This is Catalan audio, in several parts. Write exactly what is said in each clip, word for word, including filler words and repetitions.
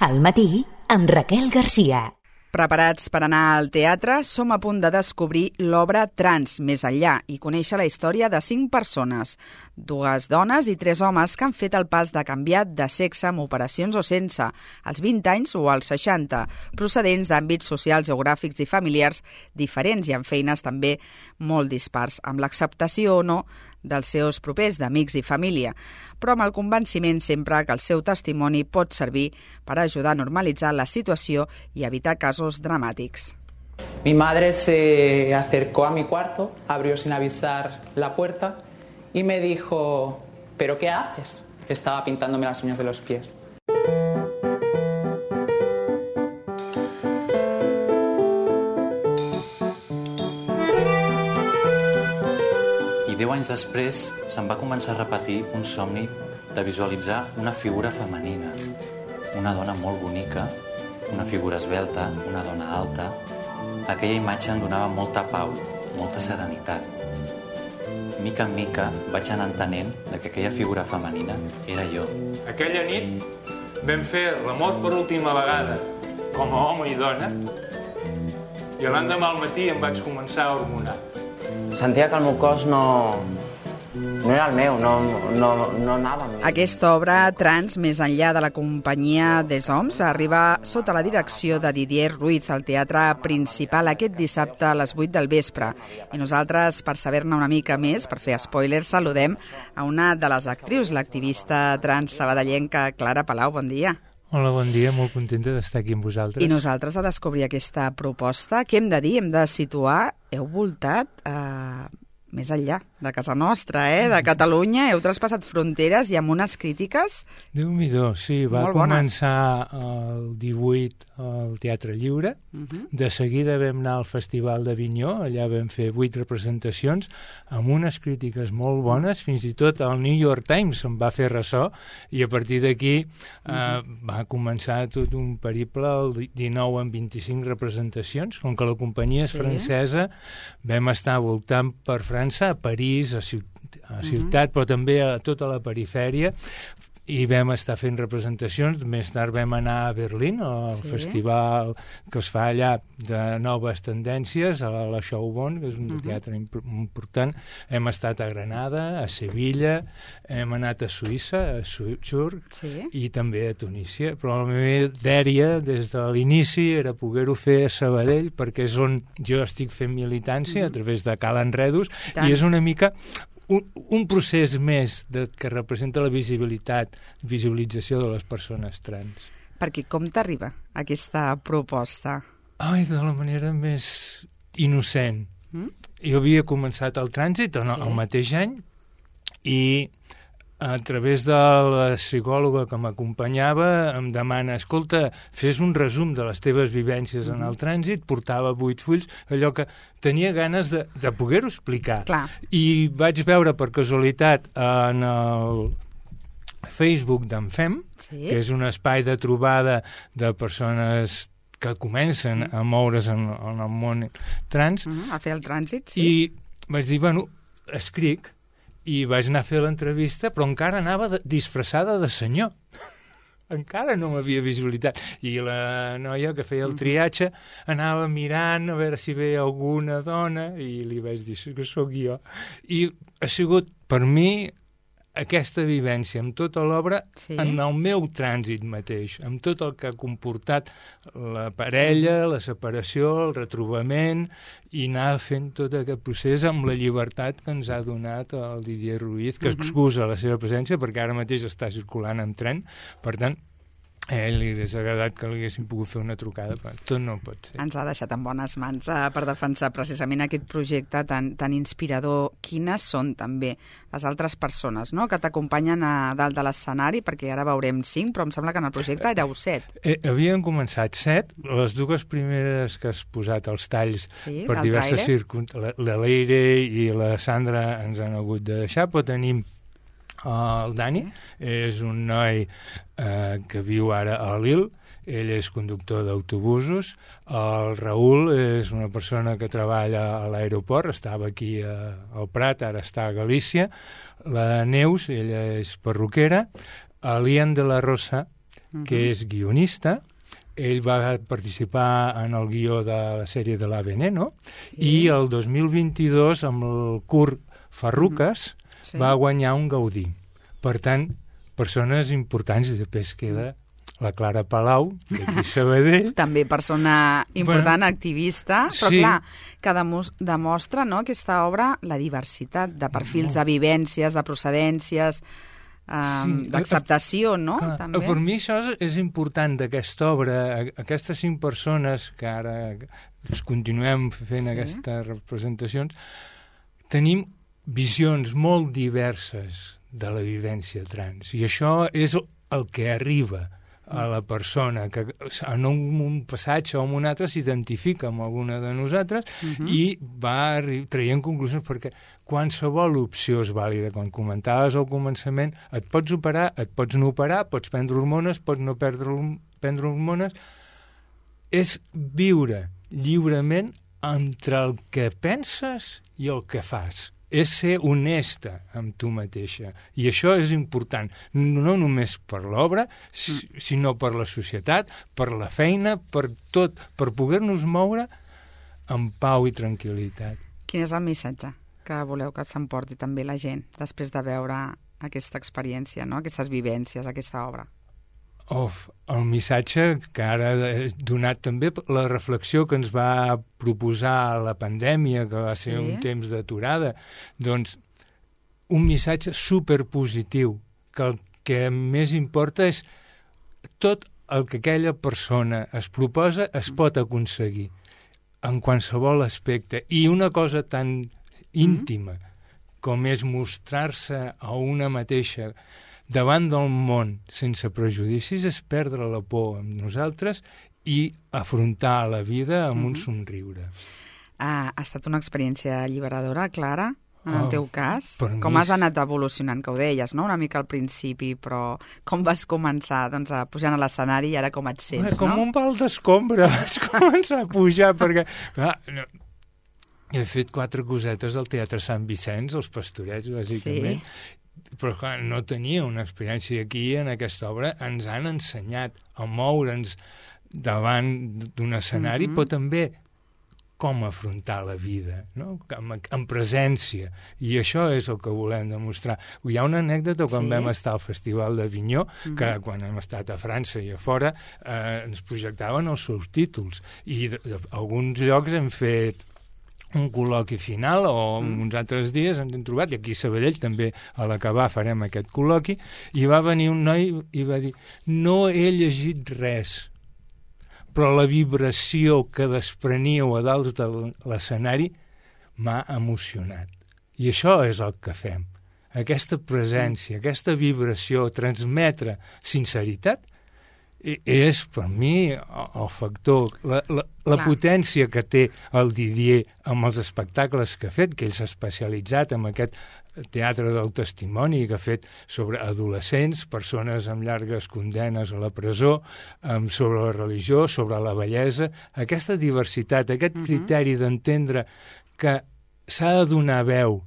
Al matí, amb Raquel Garcia. Preparats per anar al teatre, som a punt de descobrir l'obra Trans, més enllà, i conèixer la història de cinc persones, dues dones i tres homes que han fet el pas de canviar de sexe amb operacions o sense, als vint anys o als seixanta, procedents d'àmbits socials, geogràfics i familiars diferents i amb feines també molt dispars, amb l'acceptació o no dels seus propers, d'amics i família, però amb el convenciment sempre que el seu testimoni pot servir per ajudar a normalitzar la situació i evitar casos dramàtics. Mi madre se acercó a mi cuarto, abrió sin avisar la puerta y me dijo, ¿pero qué haces? Estaba pintándome las uñas de los pies. I deu anys després se'm va començar a repetir un somni de visualitzar una figura femenina, una dona molt bonica, una figura esvelta, una dona alta. Aquella imatge em donava molta pau, molta serenitat. Mica en mica vaig anar entenent que aquella figura femenina era jo. Aquella nit vam fer l'amor per última vegada, com a home i dona, i l'endemà al matí em vaig començar a hormonar. Sentia que el meu cos no, no era el meu, no, no, no anava amb mi. Aquesta obra, Trans, més enllà de la companyia des Homs, arriba sota la direcció de Didier Ruiz al Teatre Principal aquest dissabte a les vuit del vespre. I nosaltres, per saber-ne una mica més, per fer spoilers, saludem a una de les actrius, l'activista trans sabadellenca Clara Palau. Bon dia. Hola, bon dia, molt contenta d'estar aquí amb vosaltres. I nosaltres de descobrir aquesta proposta, què hem de dir? Hem de situar, heu voltat eh, més enllà de casa nostra, eh? De Catalunya, heu traspassat fronteres i amb unes crítiques Déu-n'hi-do, sí, va començar el divuit al Teatre Lliure, uh-huh. De seguida vam anar al Festival d'Avinyó, allà vam fer vuit representacions, amb unes crítiques molt bones, fins i tot el New York Times se'n va fer ressò, i a partir d'aquí uh-huh. eh, va començar tot un periple, el dinou amb vint-i-cinc representacions, com que la companyia és sí. francesa, vam estar voltant per França, a París, a Ciutat, a Ciutat uh-huh. però també a tota la perifèria, i vam estar fent representacions. Més tard vam anar a Berlín, al sí. festival que es fa allà de noves tendències, a la Schaubühne, que és un uh-huh. teatre important. Hem estat a Granada, a Sevilla, hem anat a Suïssa, a Zurich, sí. i també a Tunísia. Però la meva dèria, des de l'inici, era poder-ho fer a Sabadell, perquè és on jo estic fent militància, uh-huh. a través de Cal Enredos, i és una mica Un, un procés més de, que representa la visibilitat, visibilització de les persones trans. Perquè com t'arriba aquesta proposta? Ai, de la manera més innocent. Mm? Jo havia començat el trànsit el, sí. el mateix any i a través de la psicòloga que m'acompanyava em demana, escolta, fes un resum de les teves vivències mm-hmm. en el trànsit, portava vuit fulls, allò que tenia ganes de, de poder-ho explicar. Clar. I vaig veure per casualitat en el Facebook d'en Fem, sí. que és un espai de trobada de persones que comencen mm. a moure's en, en el món trans. Mm, a fer el trànsit, sí. I vaig dir, bueno, escric, i vaig anar a fer l'entrevista, però encara anava de, disfressada de senyor. Encara no m'havia visualitat. I la noia que feia el triatge anava mirant a veure si veia alguna dona i li vaig dir que sóc jo. I ha sigut, per mi, aquesta vivència amb tota l'obra sí. en el meu trànsit mateix, amb tot el que ha comportat la parella, la separació, el retrobament, i anar fent tot aquest procés amb la llibertat que ens ha donat el Didier Ruiz, que excusa la seva presència perquè ara mateix està circulant en tren, per tant, a ell li hauria agradat que li haguéssim pogut fer una trucada, però tot no pot ser. Ens ha deixat en bones mans eh, per defensar precisament aquest projecte tan, tan inspirador. Quines són també les altres persones, no?, que t'acompanyen a dalt de l'escenari, perquè ara veurem cinc, però em sembla que en el projecte éreu set. Eh, havien començat set, les dues primeres que has posat els talls sí, per diverses circumstàncies, la Leire i la Sandra ens han hagut de deixar, però tenim Uh, el Dani sí. és un noi uh, que viu ara a Lille, ell és conductor d'autobusos, el Raül és una persona que treballa a l'aeroport, estava aquí a, al Prat, ara està a Galícia, la Neus, ella és perruquera, l'Ian de la Rosa uh-huh. que és guionista. Ell va participar en el guió de la sèrie de La Veneno, sí. i el dos mil vint-i-dos, amb el curt Farruques, uh-huh. sí. va guanyar un Gaudí. Per tant, persones importants, i després queda la Clara Palau, d'aquí Sabadell. També persona important, bueno, activista, però sí. clar, que demostra, no, aquesta obra la diversitat de perfils, no. de vivències, de procedències, um, sí. d'acceptació, no? Clar, també. Per mi això és important d'aquesta obra, aquestes cinc persones que ara es continuem fent sí. aquestes representacions, tenim visions molt diverses de la vivència trans, i això és el que arriba a la persona, que en un passatge o en un altre s'identifica amb alguna de nosaltres uh-huh. i va traient conclusions, perquè qualsevol opció és vàlida. Quan comentaves al començament, et pots operar, et pots no operar, pots prendre hormones, pots no perdre, prendre hormones. És viure lliurement entre el que penses i el que fas. És ser honesta amb tu mateixa. I això és important, no només per l'obra, sinó per la societat, per la feina, per tot, per poder-nos moure amb pau i tranquil·litat. Quin és el missatge que voleu que s'emporti també la gent després de veure aquesta experiència, no? Aquestes vivències, aquesta obra? Of, el missatge que ara he donat també, la reflexió que ens va proposar la pandèmia, que va sí. ser un temps d'aturada, doncs un missatge superpositiu, que el que més importa és tot el que aquella persona es proposa es pot aconseguir en qualsevol aspecte. I una cosa tan íntima mm-hmm. com és mostrar-se a una mateixa davant del món sense prejudicis, és perdre la por amb nosaltres i afrontar la vida amb mm-hmm. un somriure. Ha, ha estat una experiència alliberadora, Clara, en el oh, teu cas? Com mi... has anat evolucionant, que ho deies, no?, una mica al principi, però com vas començar doncs, a pujar a l'escenari i ara com et sents, Bé, com no? Com un pal d'escombra vaig començar a pujar, perquè... Clar, no, he fet quatre cosetes al Teatre Sant Vicenç, els Pastorets, bàsicament, sí. Però clar, no tenia una experiència aquí, en aquesta obra. Ens han ensenyat a moure'ns davant d'un escenari, mm-hmm. però també com afrontar la vida, no? amb, amb presència. I això és el que volem demostrar. Hi ha una anècdota quan sí. vam estar al Festival d'Avinyó, mm-hmm. que quan hem estat a França i a fora eh, ens projectaven els seus títols. I d'alguns llocs hem fet un col·loqui final, o mm. uns altres dies ens hem trobat, i aquí a Sabadell també a l'acabar farem aquest col·loqui, i va venir un noi i va dir: no he llegit res, però la vibració que despreníeu a dalt de l'escenari m'ha emocionat. I això és el que fem. Aquesta presència, mm. aquesta vibració, transmetre sinceritat, és, per mi, el factor, la, la, la potència que té el Didier amb els espectacles que ha fet, que ell s'ha especialitzat en aquest teatre del testimoni que ha fet sobre adolescents, persones amb llargues condenes a la presó, um, sobre la religió, sobre la bellesa, aquesta diversitat, aquest uh-huh. criteri d'entendre que s'ha de donar veu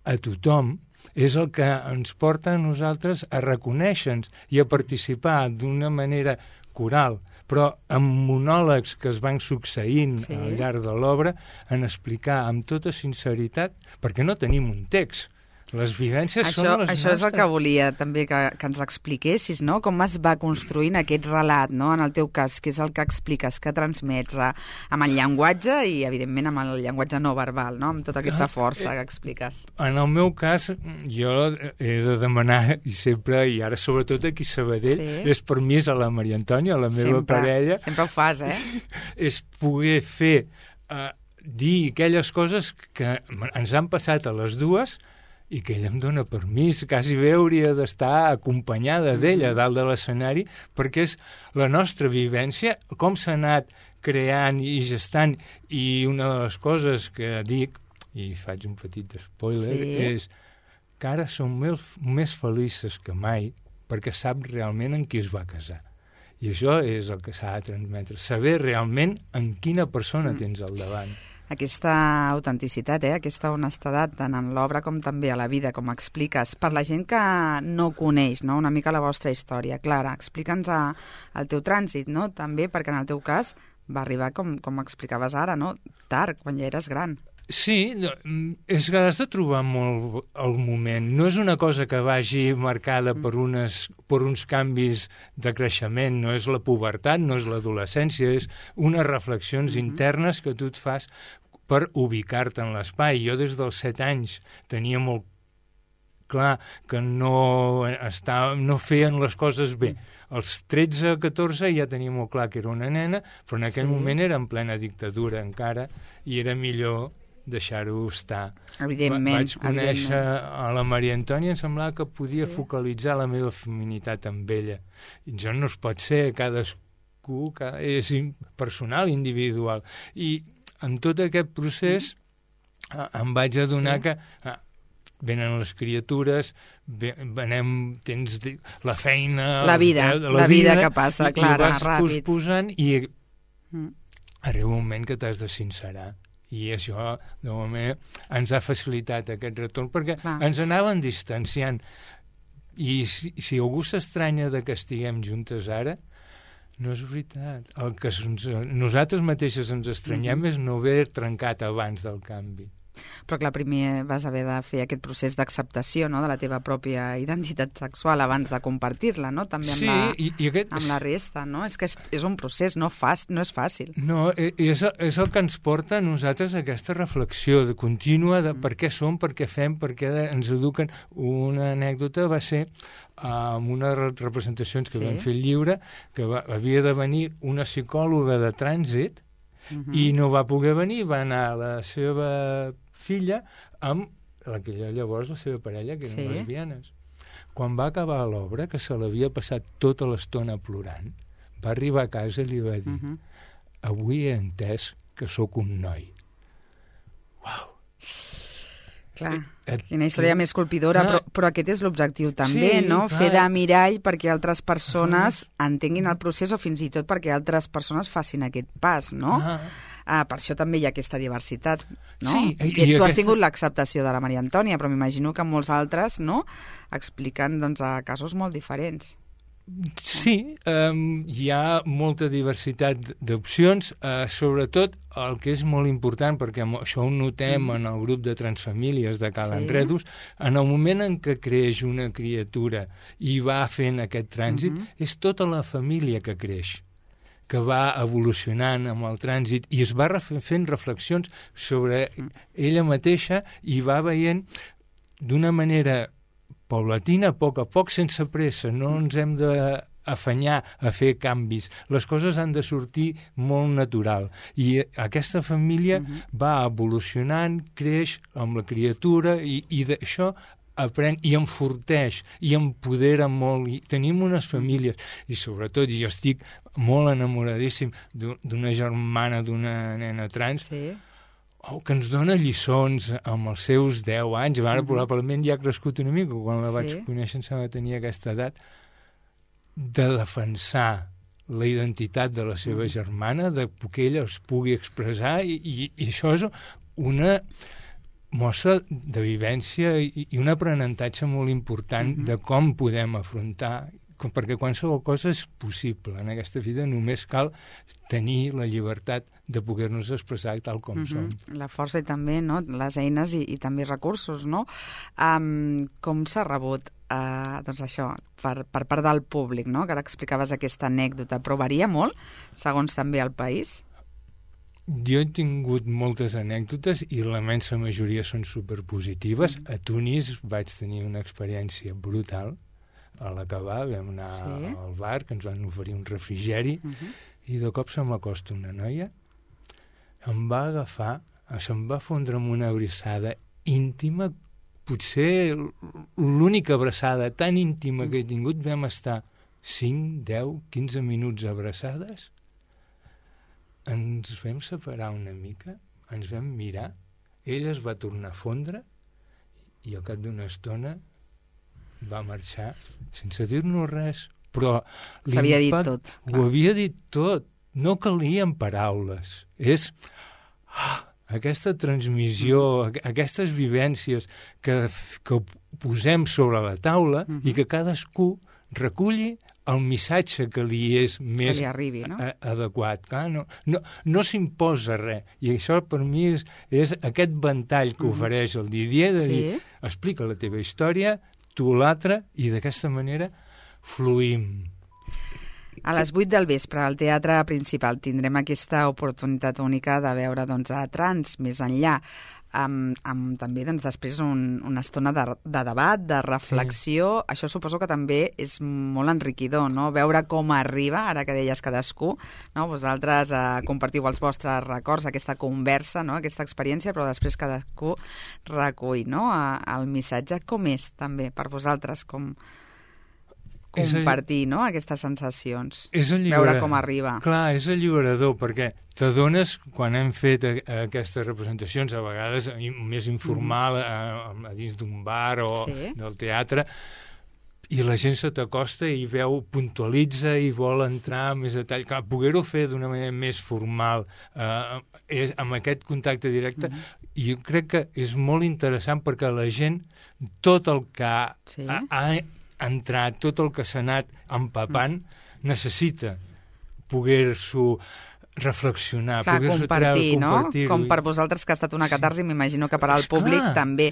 a tothom, és el que ens porta a nosaltres a reconèixer-nos i a participar d'una manera coral, però amb monòlegs que es van succeint sí. al llarg de l'obra, en explicar amb tota sinceritat, perquè no tenim un text. Les vivències això, són les això nostres. És el que volia també que, que ens expliquessis, no? Com es va construint aquest relat, no? En el teu cas, que és el que expliques, que transmets a, amb el llenguatge i, evidentment, amb el llenguatge no verbal, no? Amb tota aquesta força que expliques. En el meu cas, jo he de demanar, i sempre, i ara sobretot aquí a Sabadell, sí. és permís a la Maria Antònia, la meva sempre, parella. Sempre ho fas, eh? És poder fer, uh, dir aquelles coses que ens han passat a les dues, i que ella em dona permís, quasi bé hauria d'estar acompanyada d'ella a dalt de l'escenari, perquè és la nostra vivència, com s'ha anat creant i gestant, i una de les coses que dic, i faig un petit spoiler, sí. és que ara som més, més felices que mai, perquè sap realment en qui es va casar. I això és el que s'ha de transmetre, saber realment en quina persona mm. tens al davant. Aquesta autenticitat, eh? Aquesta honestedat, tant en l'obra com també a la vida, com expliques. Per la gent que no coneix, no?, una mica la vostra història, Clara, explica'ns el teu trànsit, no?, també, perquè en el teu cas va arribar, com, com explicaves ara, no?, tard, quan ja eres gran. Sí, és que has de trobar molt el moment. No és una cosa que vagi marcada per, unes, per uns canvis de creixement, no és la pubertat, no és l'adolescència, és unes reflexions mm-hmm. internes que tu et fas per ubicar-te en l'espai. Jo des dels set anys tenia molt clar que no, estava, no feien les coses bé. Als tretze o catorze ja tenia molt clar que era una nena, però en aquell sí. moment era en plena dictadura encara i era millor deixar-ho estar. Evidentment. Vaig conèixer evidentment. a la Maria Antònia, em semblava que podia sí. focalitzar la meva feminitat amb ella. I això no es pot ser, cadascú cada, és personal, individual. I en tot aquest procés mm. em vaig adonar sí. que ah, venen les criatures, venem, tens la feina... La vida, la, la vida, vida que passa, i, Clara, i vas ràpid. posposant i mm. arriba un moment que t'has de sincerar. I això, de moment, ens ha facilitat aquest retorn, perquè Clar. ens anaven distanciant. I si, si algú s'estranya de que estiguem juntes ara, no és veritat. El que ens, nosaltres mateixes ens estranyem mm-hmm. és no haver trencat abans del canvi. Però clar, primer vas haver de fer aquest procés d'acceptació, no?, de la teva pròpia identitat sexual abans de compartir-la, no?, també amb, sí, la, i, i aquest... amb la resta, no? És que és, és un procés, no, fas, no és fàcil. No, és, és el que ens porta a nosaltres a aquesta reflexió de contínua de mm. per què som, per què fem, per què ens eduquen. Una anècdota va ser amb uh, unes representacions que sí. vam fer al Lliure, que va, havia de venir una psicòloga de trànsit mm-hmm. i no va poder venir, va anar a la seva filla amb la que llavors la seva parella, que eren sí. lesbianes. Quan va acabar l'obra, que se l'havia passat tota l'estona plorant, va arribar a casa i li va dir uh-huh. avui he entès que sóc un noi. Uau! Clar, eh, quina història eh, més colpidora, ah, però, però aquest és l'objectiu també, sí, no? clar. Fer de mirall perquè altres persones uh-huh. entenguin el procés o fins i tot perquè altres persones facin aquest pas, no? Uh-huh. Ah, per això també hi ha aquesta diversitat, no? Sí, i, I, i tu aquesta... has tingut l'acceptació de la Maria Antònia, però m'imagino que molts altres, no?, expliquen, doncs, a casos molt diferents. Sí, um, hi ha molta diversitat d'opcions, uh, sobretot el que és molt important, perquè això ho notem mm. en el grup de transfamílies de Cal sí. Enredos, en el moment en què creix una criatura i va fent aquest trànsit, mm-hmm. és tota la família que creix, que va evolucionant amb el trànsit i es va ref- fent reflexions sobre ella mateixa i va veient d'una manera paulatina, a poc a poc, sense pressa. No ens hem d'afanyar a fer canvis. Les coses han de sortir molt natural. I aquesta família uh-huh. va evolucionant, creix amb la criatura i, i d'això aprèn i enforteix i empodera molt. I tenim unes famílies i sobretot jo estic molt enamoradíssim d'una germana d'una nena trans sí. oh, que ens dona lliçons amb els seus deu anys. Ara uh-huh. probablement ja ha crescut una mica, quan la sí. vaig conèixer em sembla que tenia aquesta edat, de defensar la identitat de la seva uh-huh. germana, de que ella es pugui expressar i, i, i això és una mostra de vivència i, i un aprenentatge molt important uh-huh. de com podem afrontar, com, perquè qualsevol cosa és possible en aquesta vida, només cal tenir la llibertat de poder-nos expressar tal com uh-huh. som. La força i també, no?, les eines i, i també recursos, no? Um, com s'ha rebut uh, doncs això, per, per part del públic, no?, que ara explicaves aquesta anècdota, però varia molt, segons també el país? Jo he tingut moltes anècdotes i la immensa majoria són superpositives. Mm. A Tunis vaig tenir una experiència brutal. A l'acabar vam anar sí. al bar, que ens van oferir un refrigeri, uh-huh. i de cop se m'acosta una noia, em va agafar, se'm va fondre amb una abraçada íntima, potser l'única abraçada tan íntima que he tingut. Vam estar cinc, deu, quinze minuts abraçades. Ens vam separar una mica, ens vam mirar, ella es va tornar a fondre i al cap d'una estona va marxar sense dir-nos res, però s'havia dit tot. Ho havia dit tot, no calien paraules. És... Ah, aquesta transmissió, mm. aquestes vivències que, que posem sobre la taula mm -hmm. i que cadascú reculli el missatge que li és més que li arribi, no? a, adequat. Clar, no no, no s'imposa res. I això per mi és, és aquest ventall que ofereix el Didier de sí. dir, explica la teva història, tu l'altra, i d'aquesta manera fluïm. A les vuit del vespre, al Teatre Principal, tindrem aquesta oportunitat única de veure doncs, a Trans, més enllà, amb, amb també doncs, després un, una estona de, de debat, de reflexió. Sí. Això suposo que també és molt enriquidor, no? Veure com arriba, ara que deies cadascú, no? Vosaltres eh, compartiu els vostres records, aquesta conversa, no? Aquesta experiència, però després cadascú recull, no? El missatge. Com és, també, per vosaltres, com compartir, no?, aquestes sensacions, veure com arriba. Clar, és alliberador, perquè t'adones, quan hem fet a, a aquestes representacions, a vegades més informal, mm. a, a dins d'un bar o sí. del teatre, i la gent se t'acosta i veu, puntualitza i vol entrar més a detall. Clar, poder-ho fer d'una manera més formal, eh, és, amb aquest contacte directe, mm. jo crec que és molt interessant perquè la gent, tot el que ha, sí. ha, ha entrat, tot el que s'ha anat empapant, mm. necessita poder-s'ho reflexionar, clar, poder-s'ho compartir, treure, no? compartir-ho. Com per vosaltres, que ha estat una catarsi, sí. m'imagino que per al públic clar. també.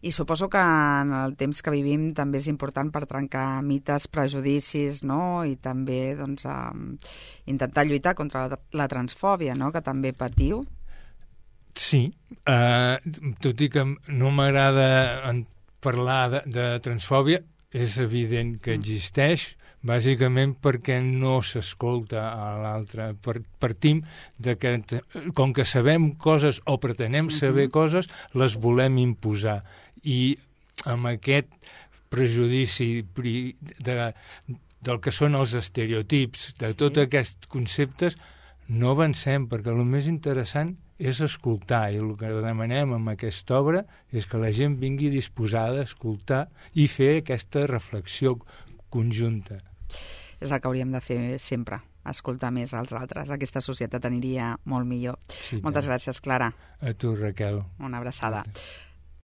I suposo que en el temps que vivim també és important per trencar mites, prejudicis, no? I també doncs, um, intentar lluitar contra la, la transfòbia, no?, que també patiu. Sí, uh, tot i que no m'agrada parlar de, de transfòbia, és evident que existeix, bàsicament perquè no s'escolta a l'altre. Partim de que, com que sabem coses o pretenem saber uh-huh. coses, les volem imposar. I amb aquest prejudici de, del que són els estereotips, de sí. tots aquests conceptes, no avancem, perquè el més interessant és escoltar, i el que demanem amb aquesta obra és que la gent vingui disposada a escoltar i fer aquesta reflexió conjunta. És el que hauríem de fer sempre, escoltar més als altres. Aquesta societat aniria molt millor. Sí, Moltes gràcies, Clara. A tu, Raquel. Una abraçada. Gràcies.